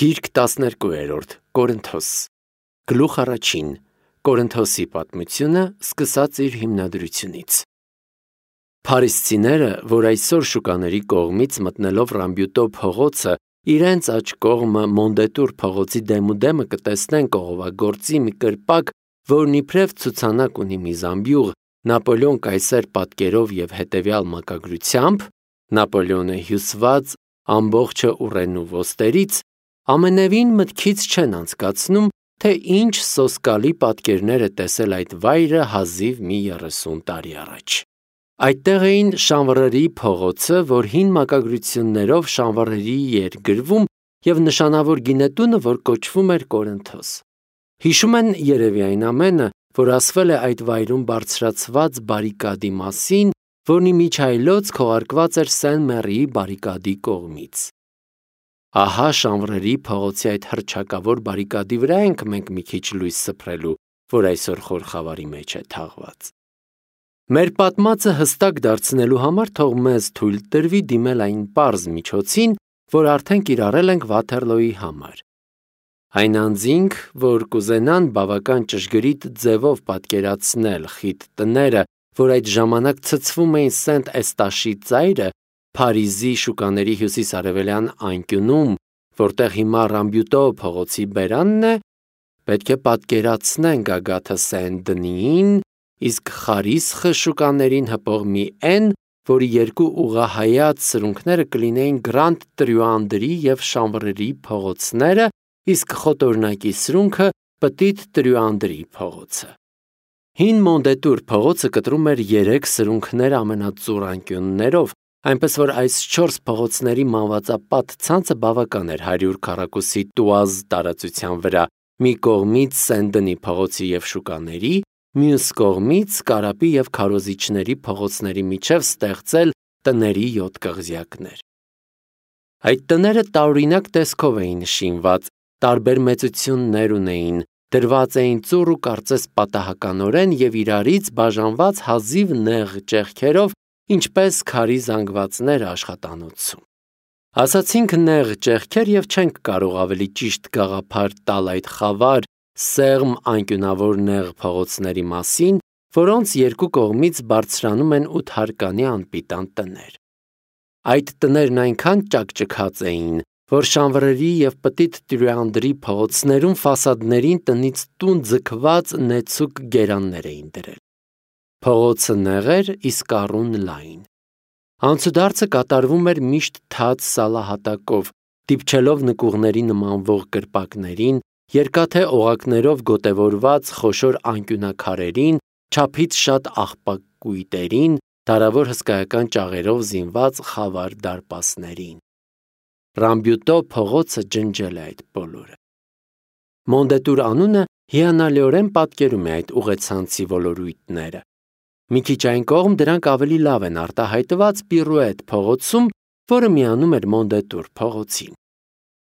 Գիրք 12 Կորինթոս Գլուխ առաջին Կորինթոսի պատմությունը սկսած իր հիմնադրությունից Փարիսցիները, որ այսօր շուկաների կողմից մտնելով Ռամբյուտո փողոցը իրենց աջ կողմը Մոնդետուր փողոցի դեմուդեմը կտեսնեն կողովագործի մի կրպակ, որն իբրև ցուցանակ ունի մի զամբյուղ Նապոլեոն կայսեր պատկերով եւ հետեւյալ մակագրությամբ, Նապոլեոնը հյուսված ամբողջը ուռենու ոստերից, ամենևին մտքից չեն անցկացնում, թե ինչ սոսկալի պատկերներ է տեսել այդ վայրը հազիվ մի 30 տարի առաջ։ Այդտեղ էին Շանվռերի փողոցը, որ հին մակագրություններով Շանվռերի էր գրվում, եւ նշանավոր գինետունը, որ կոչվում էր Կորինթոս։ Հիշում են երևի այն ամենը, որ ասվել է այդ վայրում բարձրացված բարիկադի մասին, որն իմիջայլոց քողարկված էր Սեն Մեռիի բարիկադի կողմից։ Ահա Շանվռերի փողոցի այդ հռչակավոր բարիկադի վրա ենք մենք մի քիչ լույս սփռելու, որ այսօր խորխավարի մեջ է թաղված։ Մեր պատմածը հստակ դարձնելու համար թող մեզ թույլ տրվի դիմել այն պարզ միջոցին, որ արդեն կիրառել ենք Վաթերլոյի համար։ Այն անձինք, որ կուզենան բավական ճշգրիտ ձևով պատկերացնել խիտ տները, որ այդ ժամանակ ցցվում էին Սենտ Էստաշի ծայրը, Փարիզի շուկաների հյուսիս-արևելյան անկյունում, որտեղ հիմա Ռամբյուտո փողոցի բերանն է, պետք է պատկերացնեն գագաթը Սեն-Դնիին, իսկ Խարիսխը շուկաներին հպող մի N, որի երկու ուղղահայաց սրունքները կլինեին Գրանդ Տրյուանդրի եւ Շանվռերի փողոցները, իսկ խոտորնակի սրունքը Պտիտ Տրյուանդրի փողոցը։ Հին Մոնդետուր փողոցը կտրում էր 3 սրունքներ ամենածուռ անկյուններով, այնպես որ այս 4 փողոցների մանվածապատ ցանցը բավական էր 100 քառակուսի տուազ տարածության վրա, մի կողմից Սեն-Դնի փողոցի եւ շուկաների, մյուս կողմից Կարապի եւ քարոզիչների փողոցների միջև ստեղծել տների 7 կղզյակներ։ Այդ տները տարօրինակ տեսքով էին շինված, տարբեր մեծություններ ունեին, դրված էին ծուռ ու կարծես պատահականորեն եւ իրարից բաժանված հազիվ նեղ ճեղքերով, ինչպես քարի զանգվածներ աշխատանոցում։ Ասացինք նեղ ճեղքեր եւ չենք կարող ավելի ճիշտ գաղափար տալ այդ խավար, սեղմ անկյունավոր նեղ փողոցների մասին, որոնց երկու կողմից բարձրանում են 8 հարկանի անպիտան տներ։ Այդ տներն այնքան ճակճքած էին, որ Շանվռերի եւ Պտիտ Տրյուանդրի փողոցներում ֆասադներին տնից տուն ձգված նեցուկ գերաններ էին դրել։ Փողոցը նեղ էր, իսկ առուն լայն։ Անցուդարձը կատարվում էր միշտ թաց սալահատակով, դիպչելով նկուղների նմանվող կրպակներին, երկաթե օղակներով գոտևորված խոշոր անկյունաքարերին, չափից շատ աղբակ կույտերին, դարավոր հսկայական ճաղերով զինված խավար դարպասներին։ Ռամբյուտո փողոցը ջնջել է այդ բոլորը։ Մոնդետուր անունը հիանալիորեն պատկերում է այդ ուղեցանցի ոլորույթները։ Մի քիչ այն կողմ դրանք ավելի լավ են արտահայտված Պիրուետ փողոցում, որը միանում էր Մոնդետուր փողոցին։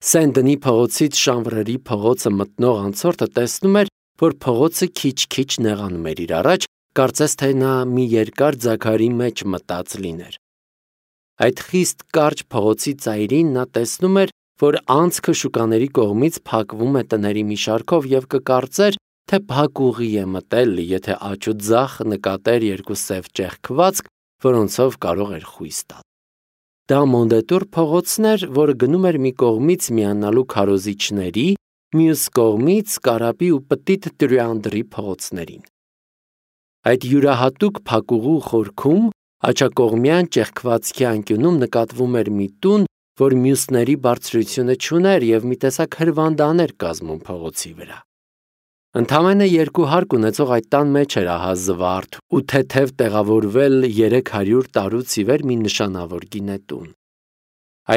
Սեն-Դնի փողոցից Շանվռերի փողոցը մտնող անցորդը տեսնում էր, որ փողոցը քիչ-քիչ նեղանում էր իր առաջ, կարծես թե նա մի երկար ձագարի մեջ մտած լիներ։ Այդ խիստ կարճ փողոցի ծայրին նա տեսնում էր, որ անցքը շուկաների կողմից փակվում է տների մի շարքով եւ կկարծեր, թե փակ ուղի է մտել, եթե աջ ու ձախ նկատեր երկու սև ճեղքվածք, որոնցով կարող էր խույս տալ։ Դա Մոնդետուր փողոցն էր, որը գնում էր մի կողմից միանալու քարոզիչների, մյուս կողմից Կարապի ու Պտիտ Տրյուանդրի փողոցներին։ Այդ յուրահատուկ փակուղու խորքում աջակողմյան ճեղքվածքի անկյունում նկատվում էր մի տուն, որ մյուսների բարձրությունը չուներ եւ մի տեսակ հրվանդան էր կազմում փողոցի վրա։ Ընդամենը 2 հարկ ունեցող այդ տան մեջ էր ահա զվարթ ու թեթև տեղավորվել 300 տարուց ի վեր մի նշանավոր գինետուն։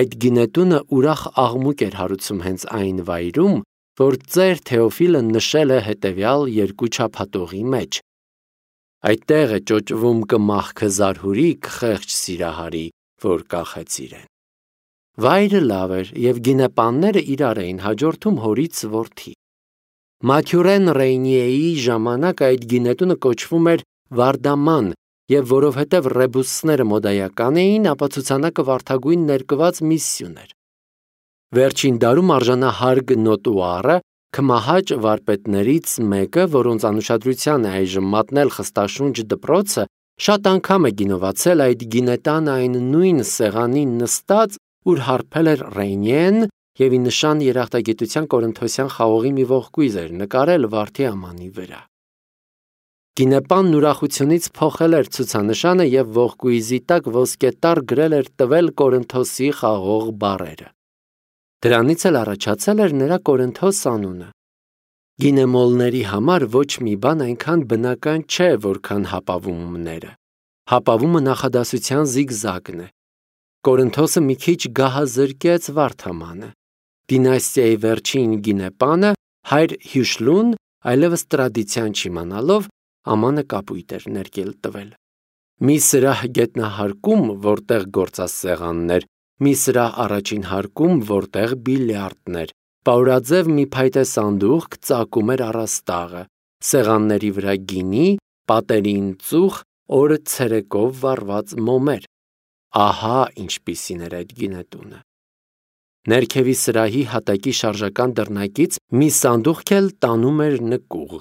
Այդ գինետունը ուրախ աղմուկ էր հարուցում հենց այն վայրում, որ ծեր Թեոֆիլը նշել է հետևյալ 2 չափատողի մեջ։ Այդտեղ է ճոճվում կմախքը զարհուրիկ խեղճ սիրահարի, որ կախեց իրեն։ Վայրը լավ էր եւ գինեպանները իրար էին հաջորդում հորից որդի։ Մաթյուրեն Ռեյնիեի ժամանակ այդ գինետունը կոչվում էր Վարդաման եւ որովհետեւ ռեբուսները մոդայական էին, ապա ցուցանակը վարդագույն ներկված միսսիոն էր։ Վերջին դարում արժանահարգ նոտուարը քմահաճ վարպետներից մեկը, որոնց անուշադրության է այժմ մատնել խստաշունչ դպրոցը, շատ անգամ է գինովացել այդ գինետան այն նույն սեղանին նստած, ուր հարբել էր Ռենյեն և ի նշան երախտագիտության կորինթոսյան խաղողի մի ողկույզ էր նկարել վարդի ամանի վրա։ Գինեպանն ուրախությունից փոխել էր ցուցանշանը և ողկույզի տակ ոսկետառ գրել էր տվել Կորինթոսի խաղող բառերը։ Դրանից էլ առաջացել էր նրա Կորինթոս անունը։ Գինեմոլների համար ոչ մի բան այնքան բնական չէ, որքան հապավումները։ Հապավումը նախադասության զիգզագն է։ Կորինթոսը մի քիչ գահազրկեց վարդամանը։ Դինաստիայի վերջին գինեպանը հայր Հյուշլուն, այլևս տրադիցիան չիմանալով, ամանը կապույտ էր ներկել տվել։ Մի սրահ գետնահարկում, որտեղ գործասեղաններ, մի սրահ առաջին հարկում, որտեղ բիլիարդներ, պաուրաձև մի փայտե սանդուղք ծակում էր առաստաղը, սեղանների վրա գինի, պատերին ծուխ, օրը ցերեկով վառված մոմեր։ Ահա ինչպիսին էր այդ գինետունը։ Ներքևի սրահի հատակի շարժական դռնակից մի սանդուղք էլ տանում էր նկուղ։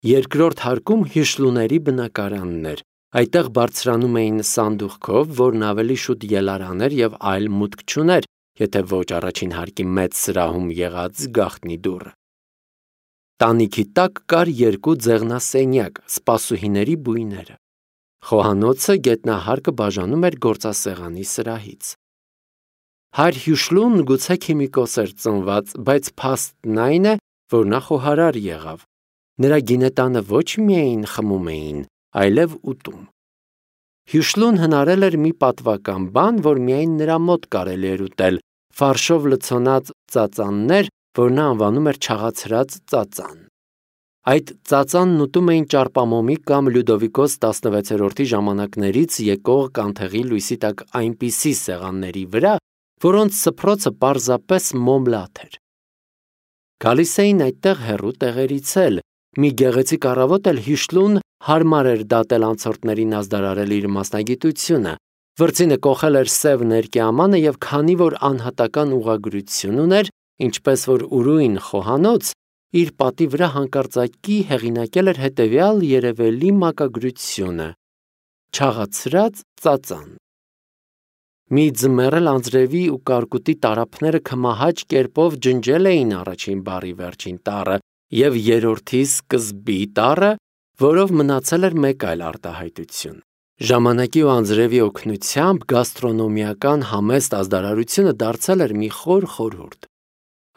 Երկրորդ հարկում Հյուշլուների բնակարանն էր։ Այդտեղ բարձրանում էին սանդուղքով, որն ավելի շուտ ելարան էր և այլ մուտք չուներ, եթե ոչ առաջին հարկի մեծ սրահում եղած գաղտնի դուռը։ Տանիքի տակ կար երկու ձեղնասենյակ, սպասուհիների բույները։ Խոհանոցը գետնահարկը բաժանում էր գործասեղանի սրահից։ Հայր Հյուշլուն գուցե քիմիկոս էր ծնված, բայց փաստն այն է, որ նա խոհարար եղավ։ Նրա գինետանը ոչ միայն խմում էին, այլև ուտում։ Հյուշլուն հնարել էր մի պատվական բան, որ միայն նրա մոտ կարելի էր ուտել, ֆարշով լցոնած ծածաններ, որ նա անվանում էր չաղացրած ծածան։ Այդ ծածանն ուտում էին ճարպամոմի կամ Լյուդովիկոս 16-րդի ժամանակներից եկող կանթեղի լույսի տակ այնպիսի սեղանների վրա, որոնց սփռոցը պարզապես մոմլաթ էր։ Գալիս էին այդտեղ հեռու տեղերից էլ։ Մի գեղեցիկ առավոտ էլ Հյուշլուն հարմար էր դատել անցորդներին ազդարարել իր մասնագիտությունը։ Վրձինը կոխել էր սև ներկյամանը և քանի որ անհատական ուղղագրություն ուներ, ինչպես որ ուրույն խոհանոց, իր պատի վրա հանկարծակի հեղինակել էր հետևյալ երևելի մակագրությունը. «Չաղացրած ծածան»։ Մի ձմեռ էլ անձրևի ու կարկուտի տարափները քմահաճ կերպով ջնջել էին առաջին բառի վերջին տառը և երրորդի սկզբի տառը, որով մնացել էր մեկ այլ արտահայտություն։ Ժամանակի ու անձրևի օգնությամբ գաստրոնոմիական համեստ ազդարարությունը դարձել էր մի խոր խորհուրդ։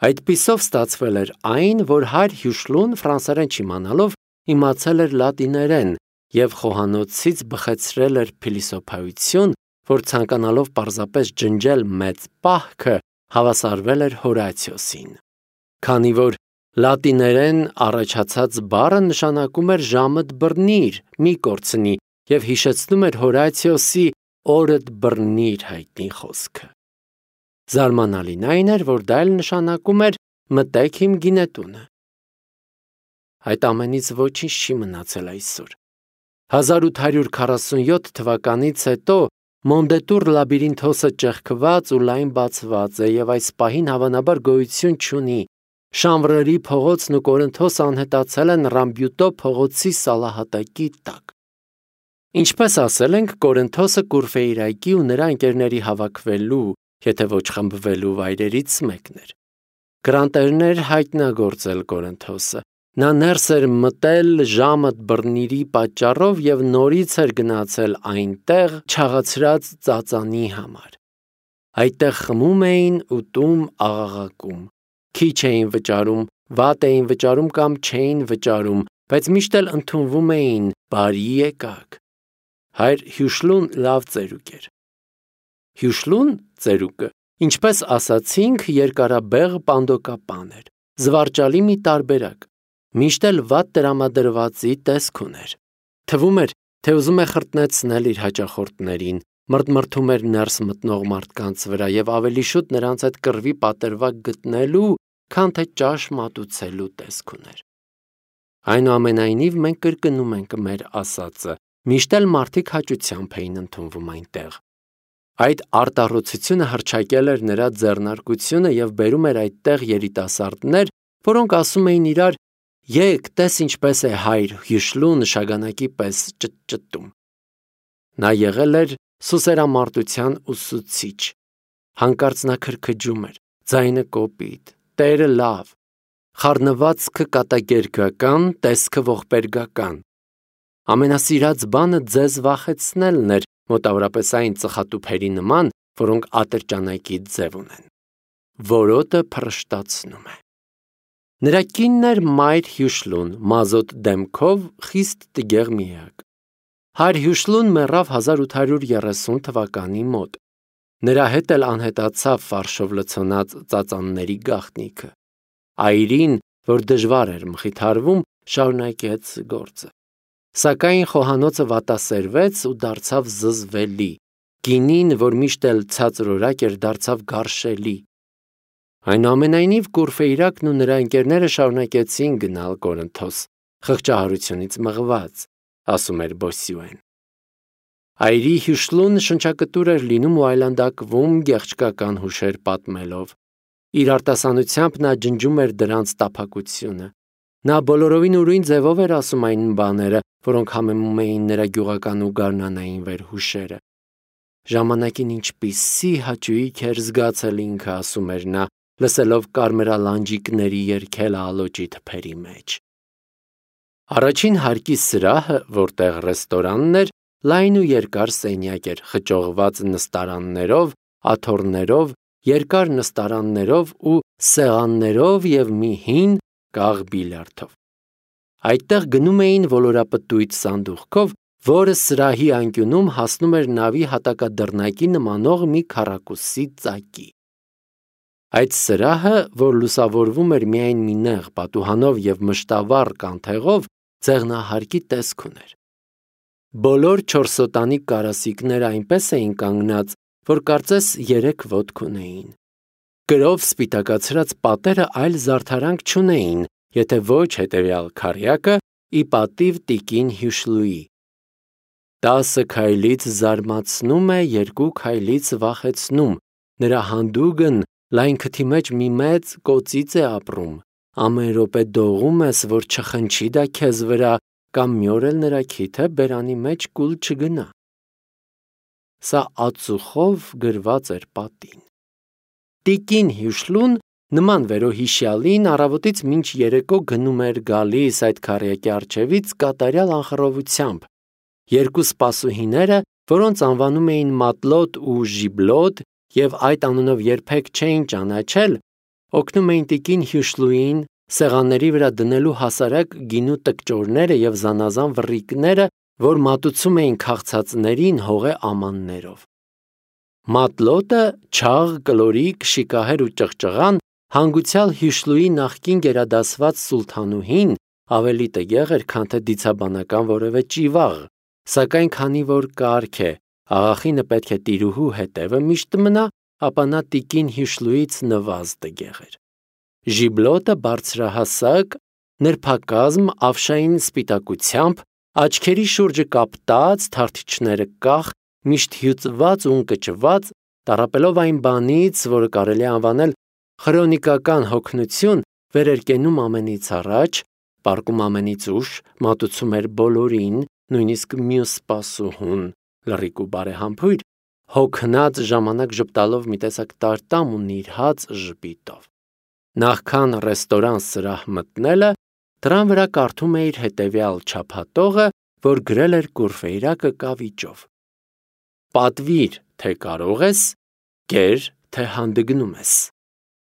Այդպիսով ստացվել էր այն, որ հայր Հյուշլուն ֆրանսերեն չիմանալով իմացել էր լատիներեն և խոհանոցից բխեցրել էր փիլիսոփայություն, որ ցանկանալով պարզապես ջնջել մեծ պահքը, հավասարվել էր Հորացիոսին։ Քանի որ լատիներեն առաջացած բառը նշանակում էր ժամդ բռնիր, մի կորցնի և հիշեցնում էր Հորացիոսի օրդ բռնիր հայտնի խոսքը։ Զարմանալին այն էր, որ դա էլ նշանակում էր մտեք իմ գինետունը։ Այդ ամենից ոչինչ չի մնացել այսօր։ 1847 թվականից հետո Մոնդետուր լաբիրինթոսը ճեղքված ու լայն բացված է և այս պահին հավանաբար գոյություն չունի։ Շամվրերի փողոցն ու Կորինթոսը անհետացել են Ռամբյուտո փողոցի սալահատակի տակ։ Ինչպես ասել ենք, Կորինթոսը Կուրֆեյրայկի ու նրա ընկերների հավաքվելու, եթե ոչ խմբվելու վայրերից մեկն էր։ Գրանտերն էր հայտնագործել Կորինթոսը։ Նա ներս էր մտել ժամդ բռնիրի պատճառով և նորից էր գնացել այնտեղ չաղացրած ծածանի համար։ Այդտեղ խմում էին, ուտում, աղաղակում։ Քիչ էին վճարում, վատ էին վճարում կամ չէին վճարում, բայց միշտ էլ ընդունվում էին բարի եկաք։ Հայր Հյուշլուն լավ ծերուկ էր։ Հյուշլուն ծերուկը, ինչպես ասացինք, երկարաբեղ պանդոկապան էր, զվարճալի մի տարբերակ, միշտ էլ վատ տրամադրվածի տեսք ուներ։ Թվում էր, թե ուզում է խրտնեցնել իր հաճախորդներին, մրթմրթում էր ներս մտնող մարդկանց վրա և ավելի շուտ նրանց հետ կռվի պատրվակ գտնելու, քան թե ճաշ մատուցելու տեսք ուներ։ Այնուամենայնիվ մենք կրկնում ենք մեր ասածը, միշտ էլ մարդիկ հաճությամբ էին ընդունվում այնտեղ։ Այդ արտառոցությունը հռչակել էր նրա ձեռնարկությունը և բերում էր այդտեղ երիտասարդներ, որոնք ասում էին իրար. «Եկ, տես ինչպես է հայր Հյուշլուն շագանակի պես ճտճտում»։ Նա եղել էր սուսերամարտության ուսուցիչ։ Հանկարծ նա քրքջում էր, ձայնը կոպիտ, տերը լավ, խառնվածքը կատակերգական, տեսքը ողբերգական։ Ամենասիրած բանը ձեզ վախեցնելն էր, մոտավորապես այն ծխատուփերի նման, որոնք ատրճանակի ձև ունեն։ Որոտը փռշտացնում է։ Նրա կինն էր Մայր Հյուշլուն, մազոտ դեմքով, խիստ տգեղ միակ։ Հայր Հյուշլուն մեռավ 1830 թվականի մոտ։ Նրա հետ էլ անհետացավ ֆարշով լցոնած ծածանների գաղտնիքը։ Այրին, որ դժվար էր մխիթարվում, շարունակեց գործը։ Սակայն խոհանոցը վատասերվեց ու դարձավ զզվելի։ Գինին, որ միշտ էլ ցածրորակ էր, դարձավ գարշելի։ Այնուամենայնիվ Կուրֆեյրակն ու նրա ընկերները շարունակեցին գնալ Կորինթոս, խղճահարությունից մղված, ասում էր Բոսյուեն։ Այրի Հյուշլուն շնչակտուր էր լինում ու այլանդակվում գեղչկական հուշեր պատմելով։ Իր արտասանությամբ նա ջնջում էր դրանց տափակությունը։ Նա բոլորովին ուրույն ձևով էր ասում այն բաները, որոնք համեմում էին նրա գյուղական ու գարնանային վերհուշերը։ Ժամանակին ինչպիսի հաճույք էր զգացել ինքը, ասում էր նա, լսելով կարմրալանջիկների երգելը ալոճի թփերի մեջ։ Առաջին հարկի սրահը, որտեղ ռեստորանն էր, լայն ու երկար սենյակ էր, խճողված նստարաններով, աթոռներով, երկար նստարաններով ու սեղաններով և մի հին կաղ բիլիարդով։ Այդտեղ գնում էին ոլորապտույտ սանդուղքով, որը սրահի անկյունում հասնում էր նավի հատակադռնակի նմանող մի քառակուսի ծակի։ Այդ սրահը, որ լուսավորվում էր միայն մի նեղ պատուհանով և մշտավառ կանթեղով, ձեղնահարկի տեսք ուներ։ Բոլոր չորսոտանի կարասիքները այնպես էին կանգնած, որ կարծես 3 ոտք ունեին։ Կրով սպիտակացրած պատերը այլ զարդարանք չունեին, եթե ոչ հետևյալ քառյակը՝ ի պատիվ տիկին Հյուշլուի։ 10 քայլից զարմացնում է, 2 քայլից վախեցնում, նրա հանդուգն լայն քթի մեջ մի մեծ կոծից է ապրում, ամեն րոպե դողում ես, որ չխնչի դա քեզ վրա, կամ մի օր էլ նրա քիթը բերանի մեջ կուլ չգնա։ Սա ածուխով գրված էր պատին։ Տիկին Հյուշլուն նման վերոհիշյալին առավոտից մինչ երեկո գնում էր գալիս այդ քառյակի առջևից կատարյալ անխռովությամբ։ 2 սպասուհիները, որոնց անվանում էին Մատլոտ ու Ժիբլոտ և այդ անունով երբեք չէին ճանաչել, օգնում էին տիկին Հյուշլուին սեղանների վրա դնելու հասարակ գինու տկճորները և զանազան վռիկները, որ մատուցում էին քաղցածներին հողե ամաններով։ Մատլոտը, չաղ, կլորիկ, շիկահեր ու ճղճղան, հանգուցյալ Հյուշլուի նախկին գերադասված սուլթանուհին, ավելի տգեղ էր, քան թե դիցաբանական որևէ ճիվաղ, սակայն քանի որ կարգ է, աղախինը պետք է տիրուհու հետևը միշտ մնա, ապա նա տիկին Հյուշլուից նվազ տգեղ էր։ Ժիբլոտը բարձրահասակ, նրբակազմ, ավշային սպիտակությամբ, աչքերի շուրջը կապտած, թարթիչները կախ, միշտ հյուծված ու ընկճված, տառապելով այն բանից, որը կարելի է անվանել խրոնիկական հոգնություն, վեր էր կենում ամենից առաջ, պառկում ամենից ուշ, մատուցում էր բոլորին, նույնիսկ մյուս սպասուհուն, լռիկ ու բարեհամբույր, հոգնած ժամանակ ժպտալով մի տեսակ տարտամ ու նիրհած ժպիտով։ Նախքան ռեստորան սրահ մտնելը, դռան վրա կարդում էիր հետևյալ չափատողը, որ գրել էր Կուրֆեյրակը կավիճով. Պատվիր, թե կարող ես, կեր, թե հանդգնում ես։